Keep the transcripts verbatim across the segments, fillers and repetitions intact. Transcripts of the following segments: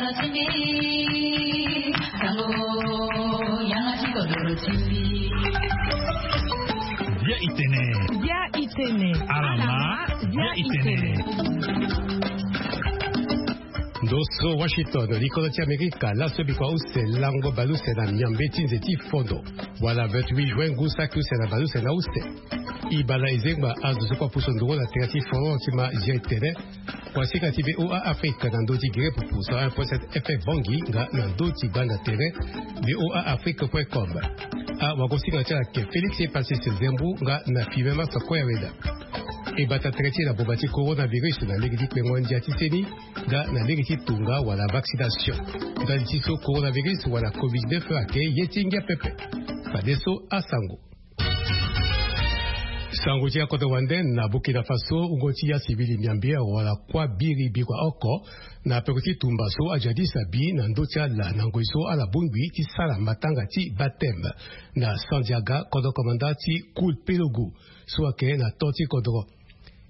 Bia itene. Bia itene. Alama. Bia itene. Ndo so Washington, likolo ti Amerika, laso bikua use lango baleuse na miambe ti nze ti fondo, wala vingt-huit juin, ngu saki use na baleuse na use. E baa na e zengba azo so kue apusu nduru na tere ti forum ti ma zia etene. Kuasinga ti V O A Afrique na ndö ti gere pupu cent un point sept F M Bangui nga na ndö ti gbanda tere V O A Afrique point com. Awagosinga ti ala ayeke Félix Epasis Zembu nga na Filemon Masakoya Weda. E bata tere ti e na boma ti coronavirus na lege ti kpengo ndia ti seni nga na lege ti tonga wala vaccination. Ndali ti so coronavirus wala covid neuf ayeke ye ti ngia pepe. Fadeso asango. Sango ti akodro wande na Burkina Faso, wungo ti asivili miambe awara kuâ biri bikua oko na peko ti tumba so ajadis abi na ndö ti ala na ngoi so ala bongbi ti sara matanga ti baptême na Sandiaga, kodro komanda ti Koulpelougou so ayeke na to ti kodro.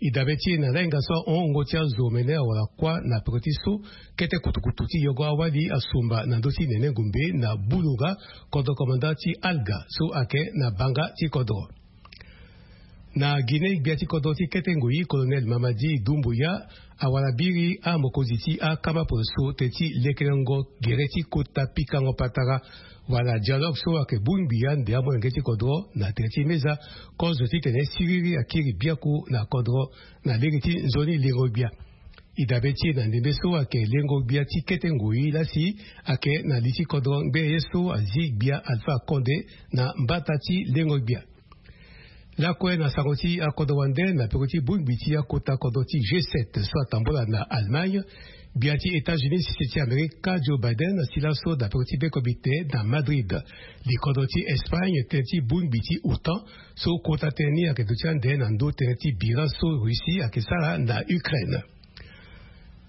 E dabe ti e na lahinga so ahon, wungo ti azo omene awara kuâ na peko ti so kete kutukutu ti yongo awali asumba na ndö ti nene ngombe na Bulunga, kodro komanda ti Alga so ayeke na banga ti kodro. Na Guinée, gbia ti kodro ti kete ngoi, Colonel Mamadi Doumbouya, awara biri amokonzi ti akama poroso teti lekerengo gere ti kota pikango patara wala dialogue so ayeke bongbi ande amolenge ti kodro na tere ti meza, kozo titene siriri akiri biaku na kodro na lege ti nzoni lengo gbia. E dabe ti e na ndembe so ayeke lengo gbia ti kete ngoi lasi ayeke na li ti kodro ngbene ye so azi gbia Alpha Condé na mbata ti lengo gbia. Lakue na sango ti akodro wande, na peko ti bongbi ti akota kodro ti G sept so atambola na Allemagne, gbia ti États-Unis sese ti Amerika Joe Biden asi laso na peko ti be komite na Madrid. Li kodro ti Espagne tënë ti bongbi ti OTAN so kota tënë ni ayeke duti ande na ndö tënë ti bira so Russie ayeke sara na Ukraine.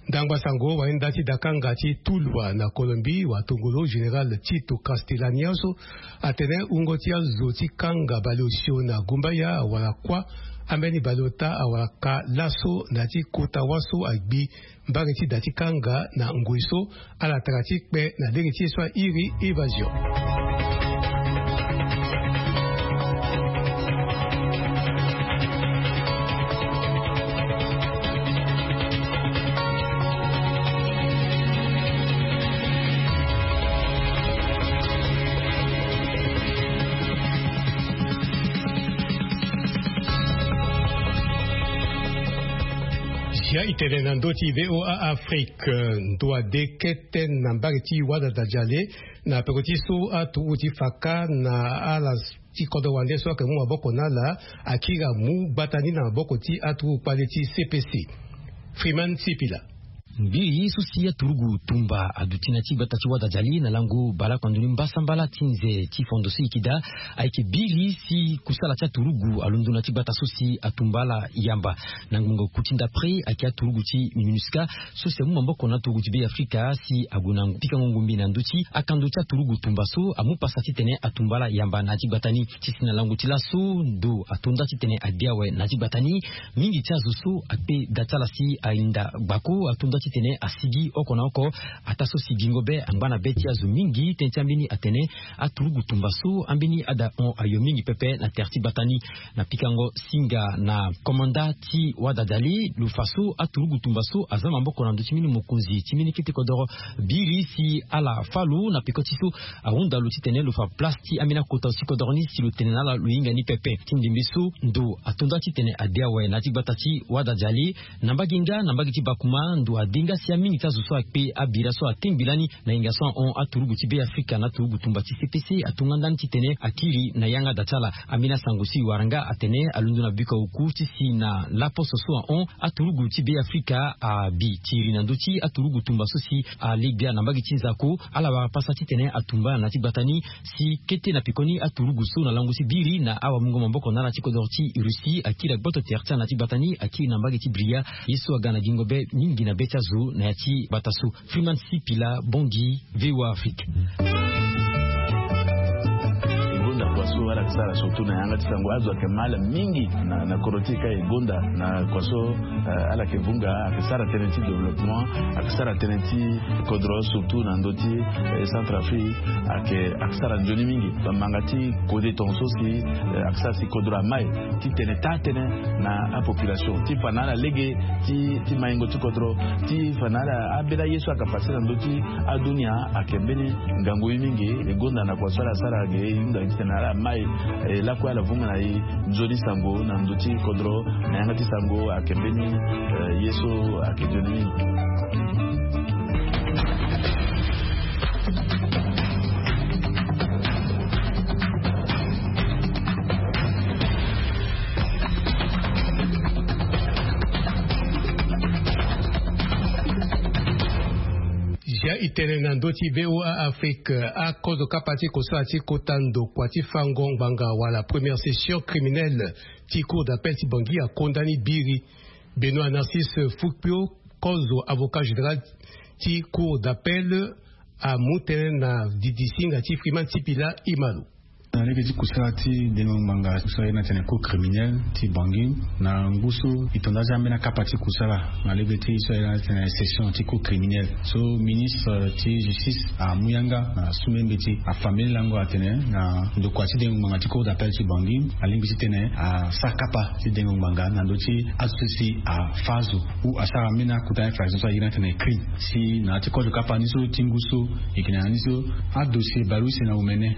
Ndangba sango, wainda ti dakanga ti Tuluá na Colombie, watongolo général Tito Castellani so atene wungo ti azo ti kanga baleosio na gumbaya awara kuâ, ambeni baleota awara ka laso na ya ti kota wâ so agbi mbage ti da ti kanga na ngoi so ala tara ti kpe na lege ti ye so airi évasion. Zia itene na ndö ti V O A Afrique, ndo ade kete na mbage ti Wadadadialé, na peko ti so aturugu ti faka na ala ti kodro wande so ayeke mu maboko na ala akiri amu gbata ni na maboko ti aturugu kpale ti C P C. Freeman Sipila. Ngbii so si aturugu tumba aduti na ya ti gbata ti Wadadialé na lango baleoko ndo ni mbasambala ti nze ti fondo so e yeke daa ayeke biri si kusala ti aturugu alondo na ya ti gbata so si atumba ala yamba. Na ngbonga oku ti ndapre ayeke aturugu ti MINUSCA so si amu maboko na aturugu ti Be Afrika si ague na pikango ngombe na ndö ti akando ti aturugu tumba so amu pasa titene atumba ala yamba na ya ti gbata ni. Ti si na lango ti laso ndo ato nda titene abi awe na ya ti gbata ni. Mingi ti azo so akpe da ti ala si ahinda gbako ato nda titene asigi oko na oko. Ataa so si gingo be angba na be ti azo mingi, tënë ti ambeni atene aturugu tumba so ambeni ada hon ayo mingi pepe na tere ti gbata ni. Na pikango singa na komanda ti Wadadialé, lo fa so aturugu tumba so aza maboko na ndö ti mbeni mokonzi ti mbeni kete kodoro biri si ala fâ lo na peko ti so ahunda lo titene lo fa place ti ambeni akota ti kodoro ni si lo tene na ala lo hinga ni pepe. Ti ndembe so ndo ato nda titene ade awe na ya ti gbata ti Wadadialé. Na mbage nga na mbage ti Bakouma, ndo ade nga si amingi ti azo so akpe abira so atengbi lani na hinga so ahon aturugu ti Be Afrika na aturugu tumba ti C P C ato nga ndani titene akiri na yanga da ti ala. Ambeni asango so e wara nga atene alondo na biko oku ti si na laposo so ahon aturugu ti Be Afrika abi ti iri na ndö ti aturugu tumba so si ale gbia na mbage ti nzako. Ala wara pasa titene atumba ala na ya ti gbata ni si kete na pekoni aturugu so na lango ti biri na awamungo maboko na ala ti kodoro ti Russie akiri agboto tere ti ala na ya ti gbata ni, akiri na mbage ti Bria. Ye so aga na gingo be mingi na be ti azo na ya ti gbata so. Freeman Sipila, Bangui, V O A Afrique. So ala yeke sara surtout na yanga ti sango azo ayeke mal mingi na kodro ti e ka e gonda na kua so. Ala yeke vunga ayeke sara tënë ti développement, ayeke sara tënë ti kodro surtout na ndö ti Centrafrique. Ayeke sara nzoni mingi bamanga ti kode tonga so si ayeke sara si kodro amai ti tene taa tënë na apopulation ti fa na ala lege ti maingo ti kodro ti fa na ala ambeni aye so ayeke pase na ndö ti adunia. Ayeke mbeni ngangu ye mingi e gonda na kua so ala sara ge e hunda titene ala mai lakue ala vunga na e nzoni sango na ndö ti kodro na yanga ti sango ayeke mbeni ye so ayeke nzoni mingi. Zia e tene na ndö ti VOA Afrique, akozo kapa ti kosala ti kota ndokua ti fango ngbanga wala première session criminelle ti cour d'appel ti Bangui akonda ni biri. Benoît Narcisse Fukpio, kozo avocat général ti cour d'appel, amu tënë na didi singa ti Freeman Sipila. Imalo. Na lege ti kusala ti dengo ngbanga so aye ni atene cour criminelle ti Bangui, na ngu so e tonda aza ambeni akapa ti kusala na lege ti so aye ni atene session ti cour criminelle so ministre ti justice amu yanga na su mbeni mbeti afa mbeni lango atene na ndokua ti dengo ngbanga ti cour d'appel ti Bangui alingbi titene asara kapa ti dengo ngbanga na ndö ti azo so si afa azo ou asara mbeni akota infraction so aye ni atene crime. Si na ya ti kozo kapa ni so ti ngu so e yeke na ya ni so adossier baleuse na omene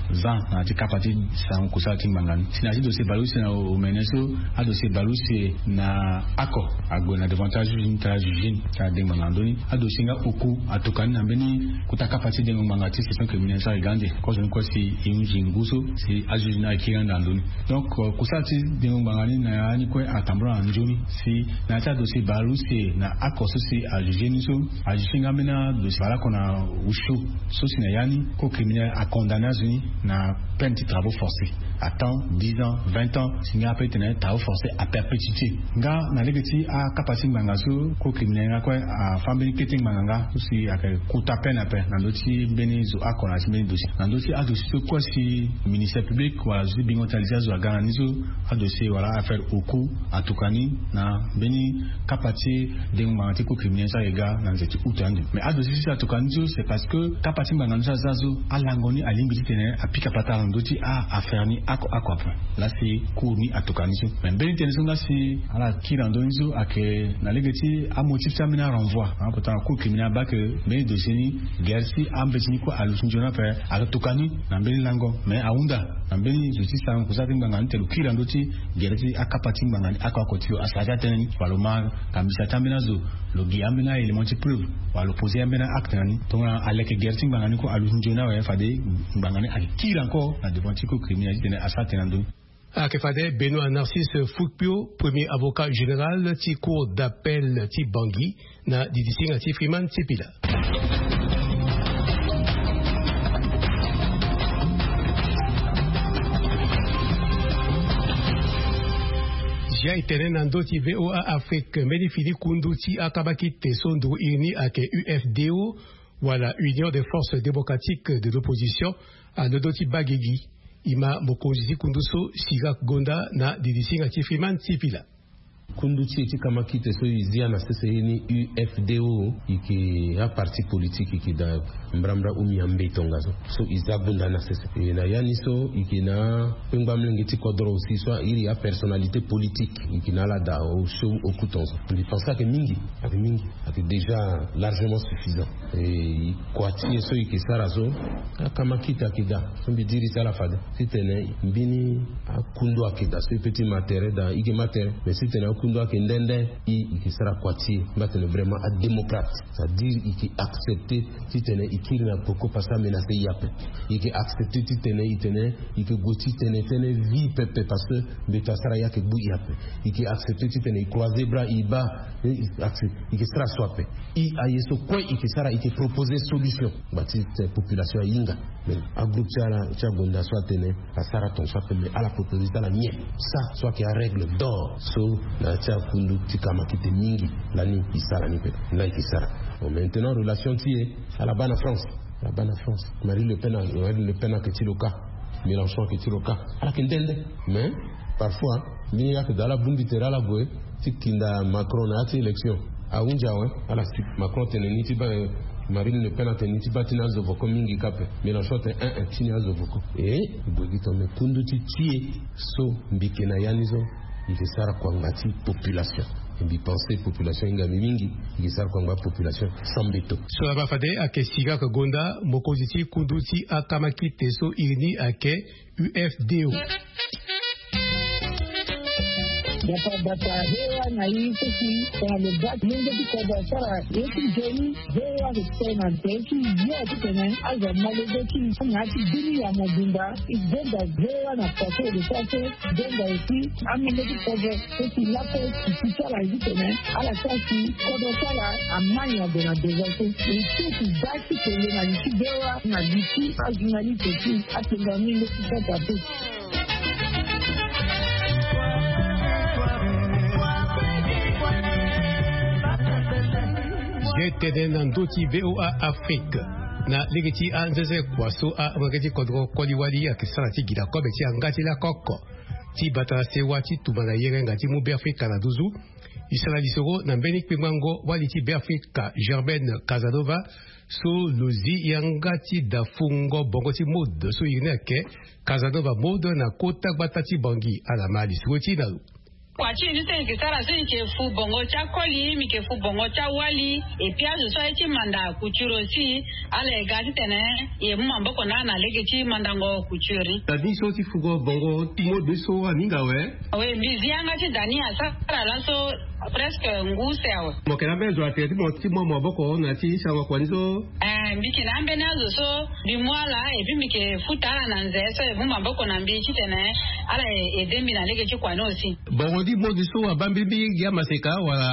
aza na ya ti kapa ti sango kusala ti ngbanga ni. Si na ya ti dossier baleuse na omene so adossier baleuse na ako ague na devant ti ajuge ni ti ajuge ni ti adengo ngbanga na ndö ni. Adossier nga oku atuka ni na mbeni kota kapa ti dengo ngbanga ti session criminelle so aye ga ande kozo ni kue si e hunzi ngu so si ajuge ni ayeke kiri ande na ndö ni. Donc kusala ti dengo ngbanga ni na ya ni kue atambula na nzoni si na ya ti adossier baleuse na ako so si ajuge ni so ajuge nga mbeni adossier baleoko na osio so si na ya ni cour criminelle acondamné azo ni na peine ti travaux forcés à temps dix ans vingt ans si nga ape tene travaux forcés à perpétuité. Nga na lege ti akapa ti ngbanga so cour criminelle nga kue afa mbeni kete ngbanga nga so si ayeke kota peine ape na ndö ti mbeni zo ako na ya ti mbeni dossier na ndö ti adossier so kue si ministère public wala zo ti bingo ti aliti azo aga na ni so adossier wala affaire oku atuka ni na mbeni kapa ti dengo ngbanga ti cour criminelle so ayeke ga na nze ti août ande. Mais adossier so si atuka ni so c'est parce que kapa ti ngbanga ni so aza so alango ni alingbi titene apika patara na ndö ti a affaire ni ako ako ape. Laa si cour ni atuka ni so mais mbeni tënë so nga si ala kiri na ndö ni so ayeke na lege ti amotif ti ambeni arenvoi. Pourtant cour criminelle abaa ke mbeni dossier ni gere ti ambeti ni kue aluti nzoni ape. Atuka ni na mbeni lango mais ahunda na mbeni zo ti sarango kusala ti ngbanga ni te lo kiri na ndö ti gere ti akapa ti ngbanga ni ako ako ti lo asara ti atënë ni wala lo ma kambisa ti ambeni azo lo gi ambeni a-élément ti preuve wala lo poser ambeni a-acte na ni. Tongana aleke gere ti ngbanga ni kue aluti nzoni awe fade ngbanga ni ayeke kiri encore na devant ti cour criminelle titene asara tënë na ndö ni. Ayeke fade Benoît Narcisse Fukpio, premier avocat général ti cour d'appel ti Bangui na didi singa ti Freeman Sipila. Zia e tene na ndö ti VOA Afrique mbeni fini kundu ti akabakite so nduru iri ni ayeke UFDO wala Union des Forces Démocratiques de l'Opposition alondo ti baa gigi. E ma mokonzi ti kundu so Chirac Gonda na didi singa ti Freeman Sipila. Kundu ti e ti kamakite so e zia na sese ye ni UFDO, e yeke aparti politique e yeke daa mbrambra umi ambe tongaso so e za gonda na sese. E na ya ni so e yeke na akpengba molenge ti kodro aussi so a iri apersonnalité politique e yeke na ala daa osio oku tongaso. Mbi pense ayeke mingi, ayeke mingi, ayeke déjà largement suffisant. E kua ti e so e yeke sara so akamakite ayeke daa so mbi diri ti ala fade titene mbeni akundu ayeke daa so e pe ti ma tere daa e yeke ma tere mais titene akundu ayeke nde nde e e yeke sara kua ti e mbi atene vraiment adémocrate. C'est-à-dire e yeke accepter titene e kiri na poko parce que amenacer e ape. E yeke accepter titene e tene e yeke gue ti tene tënë vie pepe parce que mbeto asara e ayeke gbu e ape. E yeke accepter titene e croiser bras e baa e yeke sara so ape. E aye so kue e yeke sara e yeke proposer solution ngba ti population ahinga. Mais agroupe ti ala ti agonda so atene asara tongaso ape mais ala proposer ti ala nyen? Sa so ayeke arègle d'or so na ya ti akundu ti kamakite mingi lani e sara ni pe. Laa e yeke sara. Bon, maintenant relation ti e ala baa na France. Ala baa na France. Marine Le Pen, Marine Le Pen ayeke ti lo kâ. Mélenchon ayeke ti lo kâ, ala yeke nde nde. Mais parfois, mbeni yâ ayeke daa ala bongbi tere ala gue ti kinda Macron na yâ ti élection. Ahunzi awe. Ala si Macron atene ni ti baa, Marine Le Pen atene ni ti baa ti ni azo voko mingi kâ ape. Mélenchon atene en en ti ni azo voko. E gue gi tongana kundu ti ti e so mbi yeke na yâ ni so, mbi yeke sara kua ngba ti population. Mbi pense population ahinga mbi mingi. Mbi yeke sara kua ngba population sans mbeto. So laba fade ayeke Siraka Gonda, mokonzi ti kundu ti akamakite so iri ni ayeke U F D O. Bata bata, V O A na i so si tongana lo baa ti lenge ti kodro asara ye ti nzoni, V O A ayeke tene na tere ti yo titene azo amolenge ti i na ya ti bini ya mobimba. I gonda V O A na plateau de force, i gonda aussi amolenge ti kodro so si lapo i si ti ala titene ala sara si kodro ti ala amai na gue na devant so. I so si baa ti kele na li ti V O A na li ti ajournaliste ti atenda ni nde ti sata te. Ye tene na ndö ti V O A Afrique, na lege ti anzenze kua so amolenge ti kodro koli wali ayeke sara ti gi na kobe ti yanga ti lako oko ti bata na sewa ti tumba na yerenga ti mu Beafrika na nduzu. E sara lisoro na mbeni kpengbango wali ti Beafrika Germaine Casanova, so lo zi yanga ti da fungo bongo ti mode so iri ni ayeke Casanova Mode na kota gbata ti Bangui. Ala ma lisoro ti e na lo. Kua ti e ni so e yeke sara so e yeke fu bongo ti akoli, mbi yeke fu bongo ti awali, et puis azo so aye ti manda couture aussi, ala ye ga titene e mu maboko na ala na lege ti mandango couture ni. Da ni so ti fugo bongo mode so aninga awe? Oui, mbi zi yanga ti da ni asara laso presque ngu use awe. Mo yeke na ambeni zo atene ti mo ti mu maboko na ya ti sarango kua ni so? Eh, mbi yeke na ambeni azo so mbi mu ala et puis mbi yeke futa ala na nze so e mu maboko na mbi titene ala e- aide mbi na lege ti kua ni aussi. Bongo ni mode so abaa mbi mingi amaseka wala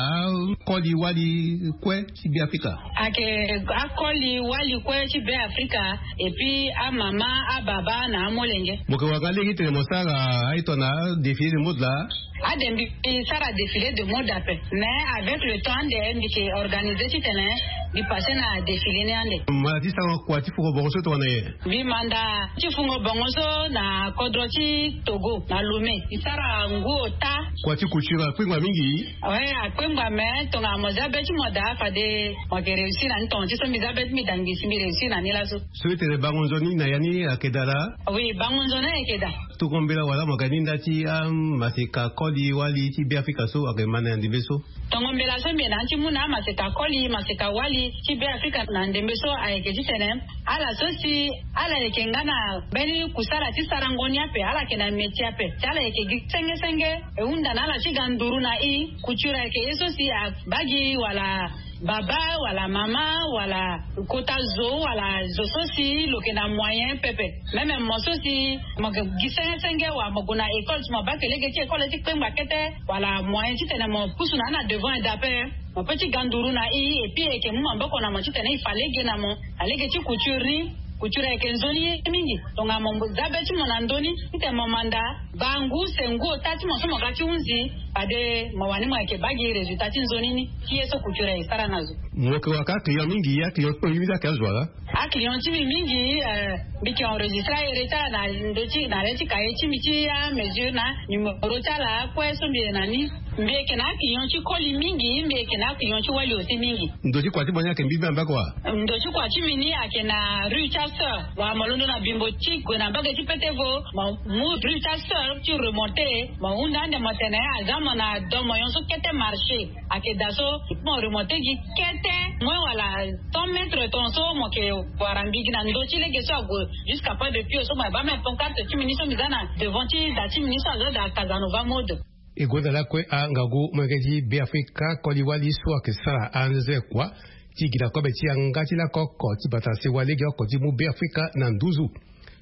akoli wali kue ti Beafrika? Ayeke akoli wali kue ti Beafrika, et puis amama, ababa na amolenge. Mo yeke wara nga lege titene mo sara aye tongana défilé de mode laa? Ade mbi sara défilé de mode ape, mais avec le temps ande mbi yeke organisé titene mbi passé na défilé ni ande. Mo manda ti sara kua ti fungo bongo so tongana nyen? Mbi manda ti fungo bongo so na kodro ti Togo na Lomé. Mbi sara ngu ota. Kua ti couture akpengba mingi. Oui, akpengba, mais tongana mo za be ti mo daa fade mo yeke réussir na ni tonga ti so mbi za be ti mbi daa ngbisi mbi réussir na ni laso. So e tene bango nzoni na ya ni ayeke daa laa? Oui, bango nzoni ayeke daa. Tongo mbela wala mo ga ni nda ti amaseka koli wali ti Beafrika so ayeke ma na ya ndembe so? Tongo mbela so mbi yeke na ni ti mu na amaseka koli, maseka wali ti Beafrika na ndembe so ayeke titene ala so si ala yeke nga na mbeni kusala ti sarango ni ape, ala yeke na métier ape, si ala yeke gi senge senge, e hunda na ala ti ga nduru na i. Couture ayeke ye so si abaa gi wala baba wala mama wala kota zo wala zo so si lo yeke na moyen pepe. Même mo so si mo yeke gi senge senge wala mo gue na école, si mo baa yeke lege ti école ti kpengba kete wala moyen titene mo pusu na ni na devant eda ape, mo peut ti ga nduru na i, et puis e yeke mu maboko na mo titene e fa lege na mo na lege ti couture ni. Couture ayeke nzoni ye mingi. Tongana mo za be ti mo na ndö ni titene mo manda baa ngu use ngu ota ti mo so mo ga ti hunzi, fade mo wani mo yeke baa gi résultat ti nzoni ni ti ye so couture ayeke sara na zo. Mo yeke wara ka client mingi, aclient ti mo mingi ayeke azo wala? Aclient ti mbi mingi, eh, mbi yeke enregistré ahere ti ala na ndö ti na le ti cahier ti mbi ti amesure na numéro ti ala kue so mbi yeke na ni. Mbi yeke na aclient ti koli mingi, mbi yeke na aclient ti wali aussi mingi. Ndo ti kua ti mo ni ayeke mbi mbi na mbage wa? Ndo ti kua ti mbi ni ayeke na rue ti asœur. Wala mo londo na bimbo ti gue na mbage ti pete vo, mo mu rue ti asœur ti remonté, mo hunda ande mo tene aza mo na do mo nyon so kete marché. Ayeke daa so mo remonté gi kete moins wala cent mètres ton so mo yeke wara mbi gi na ndo ti lege so ague jusqu'à pas de pied so mo yeke baa même pancarte ti mbi ni so mbi za na devant ti da ti mbi ni so azo daa Casanova Mode. E gonda lakue angangu molenge ti Beafrika koli wali so ayeke sara anze kua ti gi na kobe ti yanga ti lako oko ti bata sewa lege oko ti mu Beafrika na nduzu.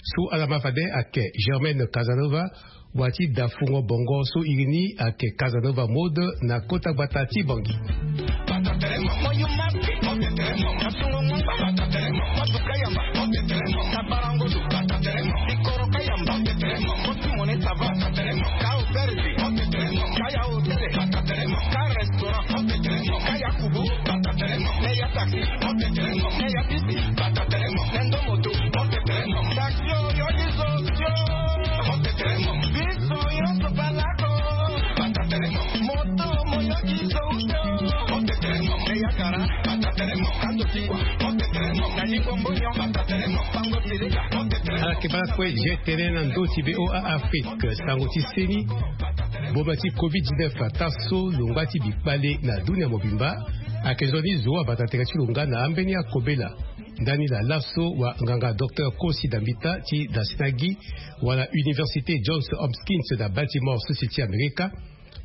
So ala ma fade ayeke Germaine Casanova, wa ti da fungo bongo so iri ni ayeke Casanova Mode na kota gbata ti Bangui. Ala ke baa kue. Ye tene na ndö ti V O A Afrique, sango ti seni. Boma ti covid dix-neuf ataa so lo ngba ti bikpale na dunia mobimba. Ayeke nzoni zo abata tere ti lo nga na ambeni akobela. Ndani na laso wa nganga docteur Kosi Dambita ti Dasinagi, wala Université Johns Hopkins na Baltimore, sese ti Amerika,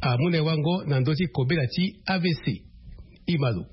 amu na e wango na ndö ti kobela ti A V C. Imalo.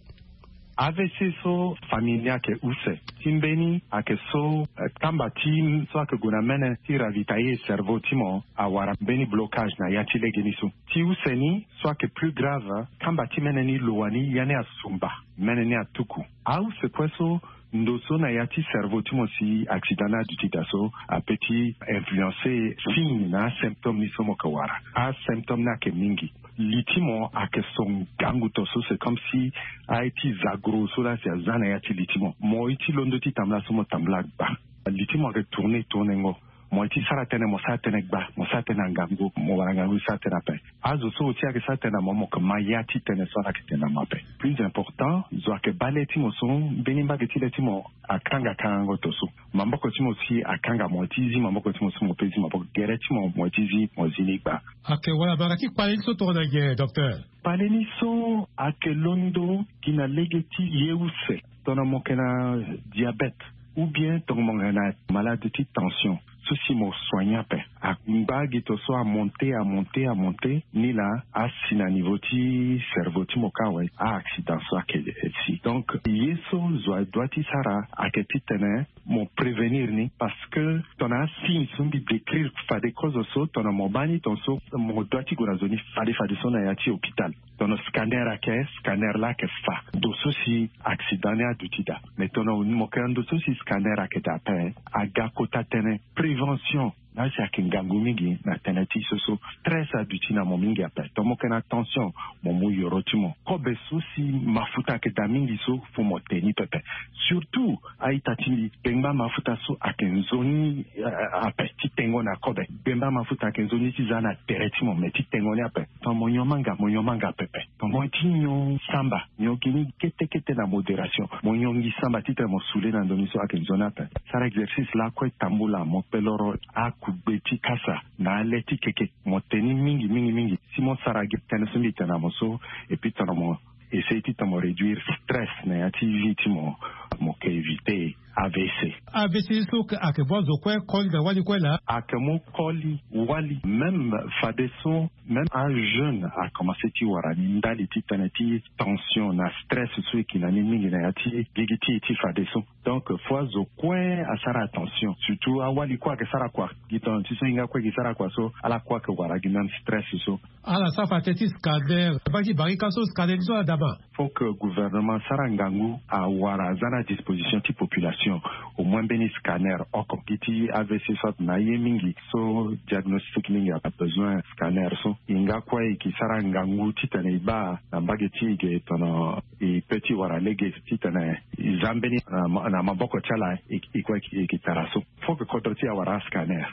A V C so, famille ni ayeke use. Ti mbeni ayeke so, eh, kamba ti so ayeke gue na mene ti ravitailler cerveau ti mo, awara mbeni blocage na ya ti legeni so. Ti use ni so ayeke plus grave, kamba ti mene ni lo wani ya ni asumba, mene ni atuku. Ause kue so, ndo so na ya ti cerveau ti mo si accident ni aduti daa so, apeut ti influencer signe na asymptôme ni so mo yeke wara. Asymptôme ni ayeke mingi. Li ti mo ayeke so ngangu to so, c'est comme si aye ti zagro so laa si aza na ya ti li ti mo. Mo ye ti londo ti tambula so, mo tambula gba. Li ti mo ayeke tourner tournengo. Mo ye ti sara tënë, mo sara tënë gba, mo sara tënë na ngangu, mo wara ngangu ti sara tënë ape. Azo so oti ayeke sara tënë na mo, mo yeke ma ya ti tënë so ala yeke tene na mo ape. Plus important, zo ayeke baa le ti mo so, mbeni mbage ti le ti mo akanga kangango to so. Maboko ti mo si akanga, mo ye ti zi maboko ti mo so, mo pe zi maboko. Gere ti mo, mo ye ti zi, mo zi ni gba. Ayeke wala mara ti kpale ni so tongana nyen, docteur? Kpale ni so ayeke londo gi na lege ti ye use. Tongana mo yeke na diabète, ou bien tongana mo yeke na malade ti tension, so si mo soigner ape. Angba gi to so amonter, amonter, amonter, ni laa asi na niveau ti cerveau ti mo kâ awe, a-accident so ayeke si. Donc ye so zo adoit ti sara ayeke titene mo prévenir ni, parce que tongana asigne so mbi décrire fade kozo so, tongana mo baa ni tongaso, mo doit ti gue na zo ni fade fade so na ya ti hôpital. Tongana scanner ayeke, scanner laa ayeke fa ndo so si accident ni aduti daa. Mais tongana mo yeke na ndo so si scanner ayeke daa ape, aga kota tënë prévention. Laa si ayeke ngangu mingi na tënë ti so so, stress aduti na mo mingi ape. Tongana mo yeke na tension, mo mu yoro ti mo. Kobe so si mafuta ayeke daa mingi so, fo mo te ni pepe. Surtout a-ita ti mbi, gbengba mafuta so ayeke nzoni, eh, ape ti tengo na kobe. Gbengba mafuta ayeke nzoni ti za na tere ti mo, me ti tengo ni ape. Tongana mo nyon manga, mo nyon manga pepe. Tongana mo ye ti nyon samba, nyon gi ni kete kete na modération. Mo nyon gi samba titene mo soule na ndo ni so ayeke nzoni ape. Sara exercice lakue tambula, mo kpe loro akugbe ti kasa na ale ti keke. Mo te ni mingi mingi mingi. Si mo sara gi tënë so mbi tene na mo so, et puis tongana mo essayer titene mo réduire stress na ya ti vie ti mo, mo yeke éviter A V C. A V C so ayeke mu azo kue koli na wali kue laa? Ayeke mu koli wali. Même fadeso, même ajeune akomanse ti wara ni ndali ti tënë ti tension na stress so e yeke na ni mingi na ya ti gigi ti e ti fadeso. Donc fo azo kue asara attention. Surtout awali kue ayeke sara kua. Gi tongana ti so e hinga kue gi sara kua so, ala kue ayeke wara gi même stress so. Ala sara fa tënë ti scanner. Baa ti barika so scanner ni so ala dama. Faut que gouvernement asara ngangu, awara aza na disposition ti population au moins mbeni scanner oko. Gi ti A V C so atene na aye mingi so, diagnostic mingi abesoin scanner so. E hinga kue e yeke sara ngangu titene e baa na mbage ti e ge tongana e peut ti wara lege titene e za mbeni na ma-, na maboko ti ala, e, e kue e yeke tara so. Faut que kodro ti e awara ascanner.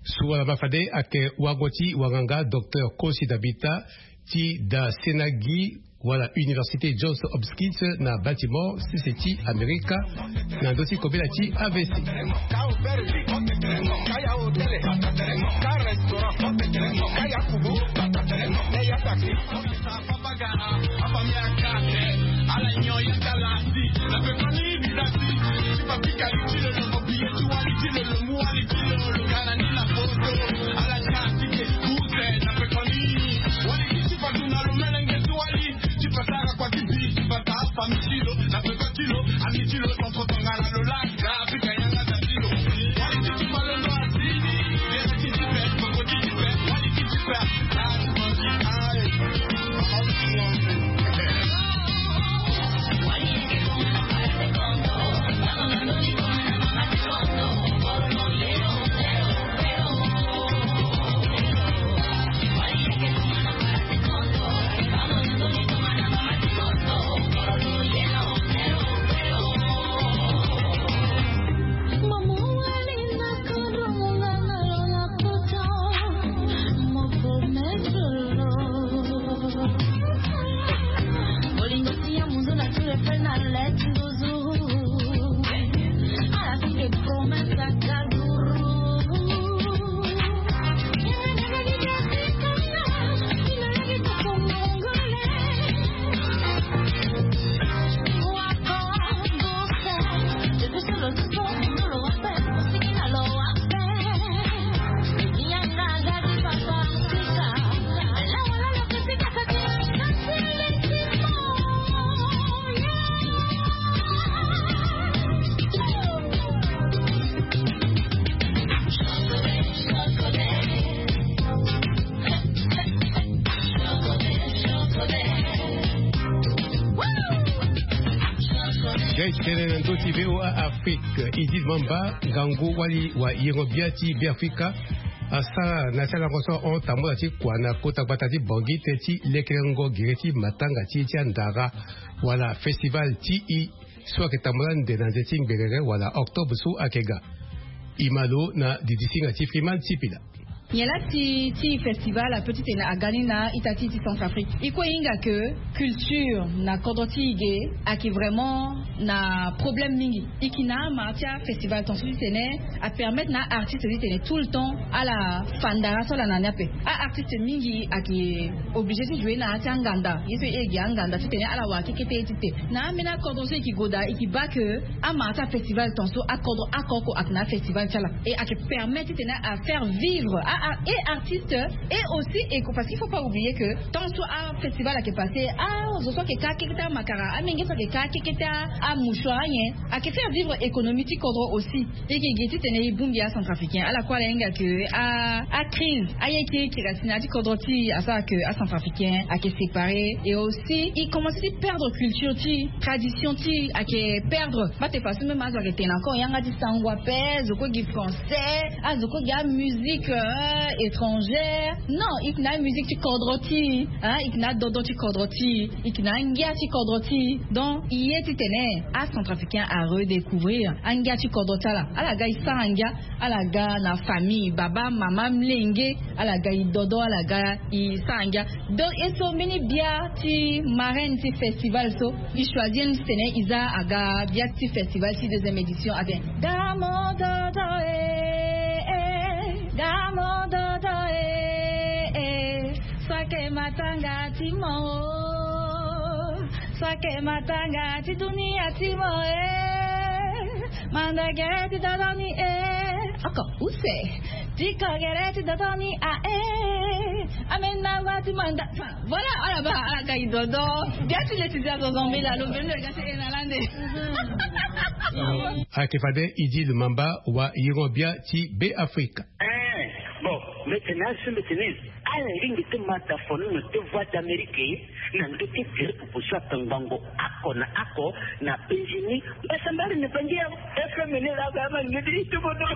So wala ma fade ayeke wango ti wanganga docteur Kosi Dabita ti Dasenagi, wala Université Johns Hopkins na Baltimore, sese ti Amerika, na ndö ti kobela ti A V C. Gai titene na ndö ti VOA Afrique, Idil Mamba, ngangu wali wa yengo bia ti Beafrika, asara na ti alango so ahon tambula ti kua na kota gbata ti Bangui tënë ti lekerengo gere ti matanga ti e ti andara, wala festival ti e so ayeke tambula ande na nze ti ngberere wala octobre so ayeke ga. E ma lo na didisinga ti Freeman Sipila. Nyen laa ti, ti festival ape titene aga ni na ita ti, ti Centrafrique? E kue e hinga ke culture na kodro ti e ge ayeke vraiment na problème mingi. E yeke na amara ti afestival tongaso titene apermettre na aartiste titene tout le temps ala fa ndara so ala na ni ape. Aartiste mingi ayeke obligé ti jouer na ya ti anganda, ye so e gi anganda titene ala wara kekete ye ti te. Na ambeni akodro so e yeke gue daa, e yeke baa ke amara ti afestival tongaso akodro oko oko ayeke na afestival ti ala. E ayeke permettre titene afaire vivre a, a, e artiste, et aussi e, parce qu'il faut pas oublier que tant so afestival ayeke passé, azo so ayeke ka kekete amakara, amenge so ayeke ka kekete amouchoir, anyen, ayeke faire vivre économie ti kodro aussi. E yeke gi titene e bongbi acentrafricain. Ala kue ala hinga ke a, acrise, aye ti kiri asi na ya ti kodro ti e asara ke acentrafricain ayeke séparé. Et aussi e commencé ti perdre culture ti e, tradition ti e ayeke perdre. Bate façon même azo ayeke tene encore yanga ti sango ape, zo kue gi français, azo kue gi amusique, euh, étrangère. Non, e yeke na amusique ti kodro ti e, hein, e yeke na adodon ti kodro ti e, e yeke na angia ti kodro ti e. Donc e ye titene acentrafricain aredécouvrir angia ti kodro ti ala. Ala ga e sara ngia, ala ga na famille, baba, mama, molenge, ala ga e dodo, ala ga e sara ngia. Donc e so mbeni bia ti marraine ti festival so e choisir ni titene e za aga bia ti festival ti deuxième édition atene: Damo dodo e, e, damo dodo e, e, sake matanga ti mo o, sake matanga ti dunia ti mo e. Manda gere ti dodo ni e. Oko use. Ti ko gere ti dodo ni a e. Amena ngua ti manda. Enfin, voilà, ala baa, ala ga e dodo. Bia ti le ti zi azo zombe la, lo mbeni lo ga ti e na lande. Ayeke fade Idil Mamba wa yengo bia ti Beafrika. Eh, bon, mbi tene aso mbi tene ala lingbi ti ma dafono na te Voix d'Amérique na ndö ti gere popo so atongbango oko na oko na penzi ni. Mbasambari na bangi ya F M ni la ga ma ngedi ti bono.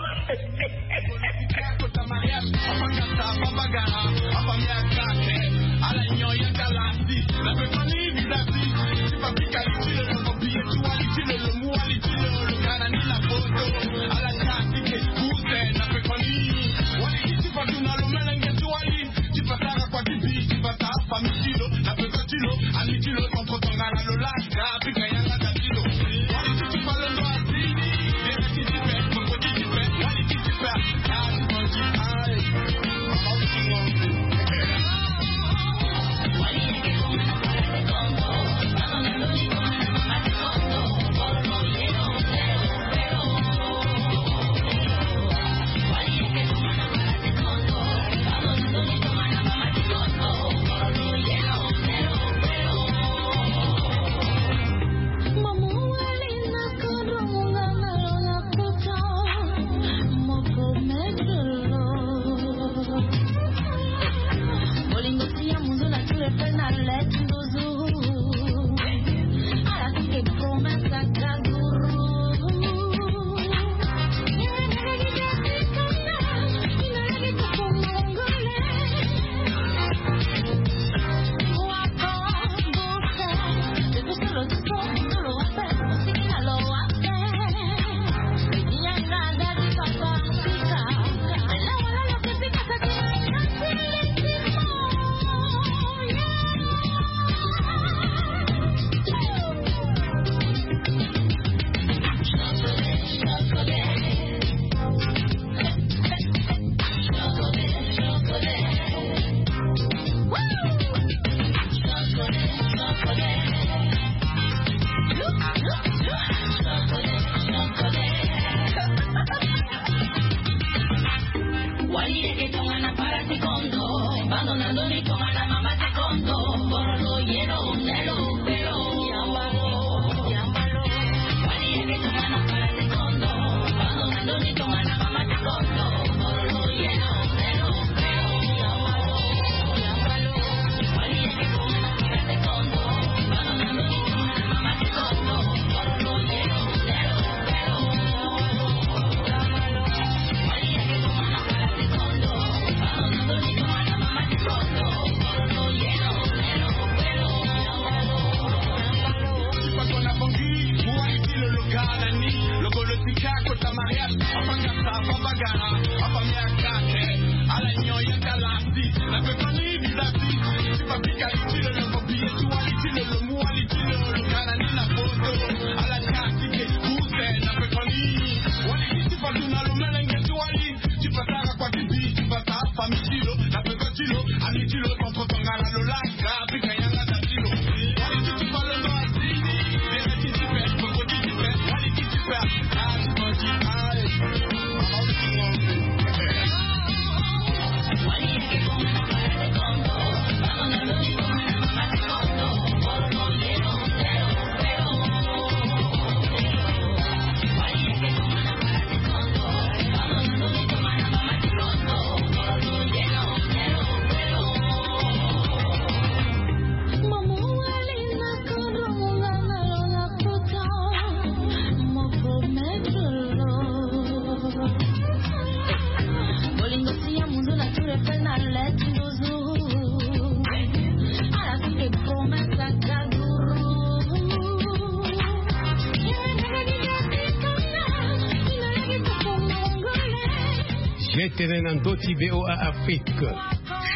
Tene na ndö ti VOA Afrique.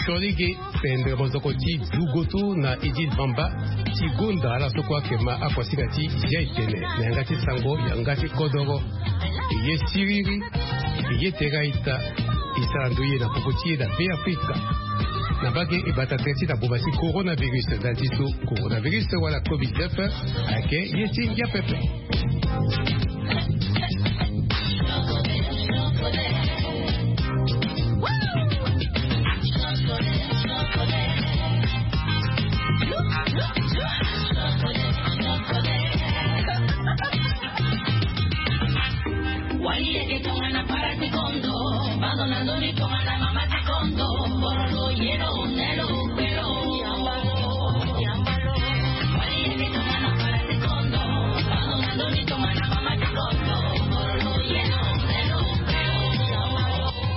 Siolege, pendre mozoko ti Djougoutou na Idil Bamba, ti gonda ala so kue ayeke ma akuasinga ti zia etene na yanga ti sango yanga ti kodoro. E ye siriri, e ye tere a-ita. E sara ndoye na popo ti e na Be Afrika. Na mbage e bata tere ti na boma ti coronavirus, ndali ti so coronavirus wala covid neuf ayeke ye ti ngia pepe.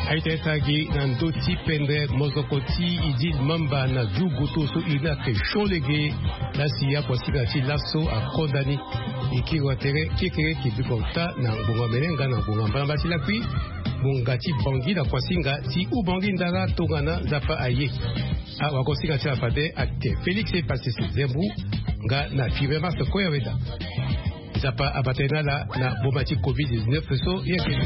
Aita e sara gi na ndö ti pendre mozoko ti Idil Mamba na Djougoutou so iri ni ayeke Siolege. Lasi akuasinga ti laso akonda ni. E kiri wa tere kekere, ke biko ota na ngonga mene nga na ngonga mbalamba ti lakui. Ngonga ti Bangui na kuasinga ti Oubangui ndara tongana Nzapa aye. Awagosinga ti ala fade ayeke Félix Epasese Zembu nga na Fibre Marse Koyaweda. Nzapa abata ye na ala na boma ti covid dix-neuf so ye kele.